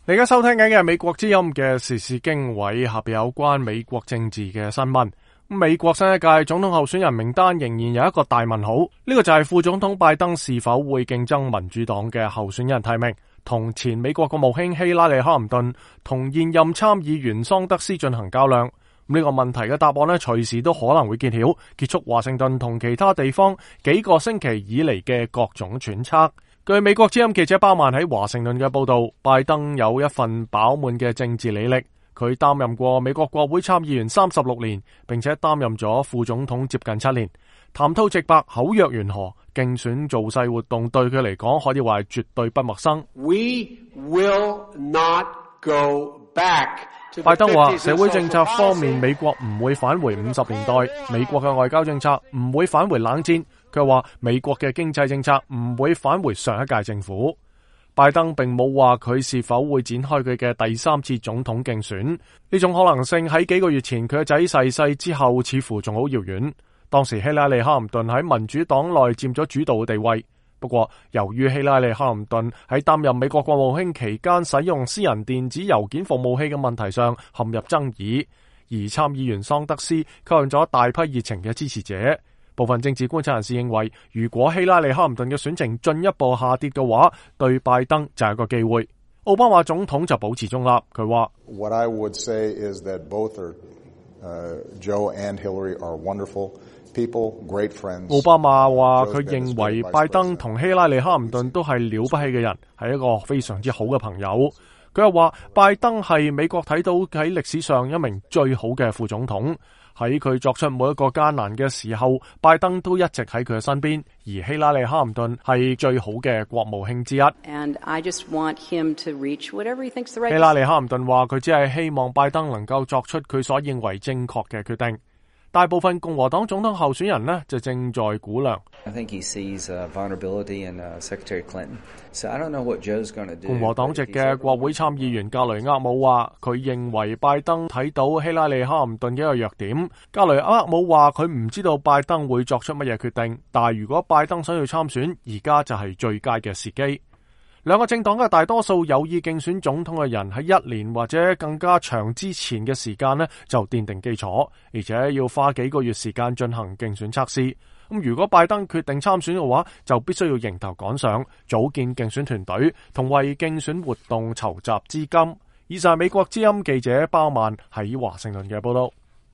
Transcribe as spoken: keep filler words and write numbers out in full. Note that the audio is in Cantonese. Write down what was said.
你而家收聽緊嘅係美國之音嘅時事經緯，下邊有關美國政治嘅新聞。美國新一屆總統候選人名單仍然有一個大問號，呢、這個就係副總統拜登是否會競爭民主黨嘅候選人提名，同前美國國務卿希拉里克林頓同現任參議員桑德斯進行較量。呢、這個問題嘅答案呢，隨時都可能會揭曉，結束華盛頓同其他地方幾個星期以嚟嘅各種揣測。據美國之音記者鮑曼喺華盛頓嘅報道，拜登有一份飽滿嘅政治履歷，佢擔任過美國國會參議員三十六年，並且擔任咗副總統接近七年。談吐直白，口若懸河，競選造勢活動對佢嚟講可以話係絕對不陌生。We will not go back. 拜登話社會政策方面，美國唔會返回五十年代，美國嘅外交政策唔會返回冷戰。佢話美國嘅經濟政策唔會返回上一屆政府。拜登並冇話佢是否會展開佢嘅第三次總統競選，呢種可能性喺幾個月前佢嘅仔逝世之後似乎仲好遙遠。當時希拉里克林頓喺民主黨內佔咗主導嘅地位，不過由於希拉里克林頓喺擔任美國國務卿期間使用私人電子郵件服務器嘅問題上陷入爭議，而參議員桑德斯吸引咗大批熱情嘅支持者。部分政治觀察人士認為，如果希拉里克林頓嘅選情進一步下跌嘅話，對拜登就係一個機會。奧巴馬總統就保持中立，佢話 What I would say is that both are, uh, Joe and Hillary are wonderful people, great friends. 奧巴馬話佢認為拜登同希拉里克林頓都係了不起嘅人，係一個非常之好嘅朋友。佢又話拜登係美國睇到喺歷史上一名最好嘅副總統。喺佢作出每一個艱難嘅時候，拜登都一直喺佢嘅身邊，而希拉里克林頓係最好嘅國務卿之一。And I just want him to reach whatever he thinks the right. 希拉里克林頓話佢只係希望拜登能夠作出佢所認為正確嘅決定。大部分共和黨總統候選人呢就正在估量。I think he sees a vulnerability in uh, Secretary Clinton. So I don't know what Joe's going to do. 共和黨籍嘅國會參議員格雷厄姆話，佢認為拜登睇到希拉里克林頓嘅一個弱點。格雷厄姆話佢唔知道拜登會作出乜嘢決定，但係如果拜登想要參選，而家就係最佳嘅時機。兩個政黨嘅大多數有意競選總統嘅人喺一年或者更加長之前嘅時間呢就奠定基礎，而且要花幾個月時間進行競選測試。咁如果拜登決定參選嘅話，就必須要迎頭趕上，組建競選團隊，同為競選活動籌集資金。以上係美國之音記者鮑曼喺華盛頓嘅報道。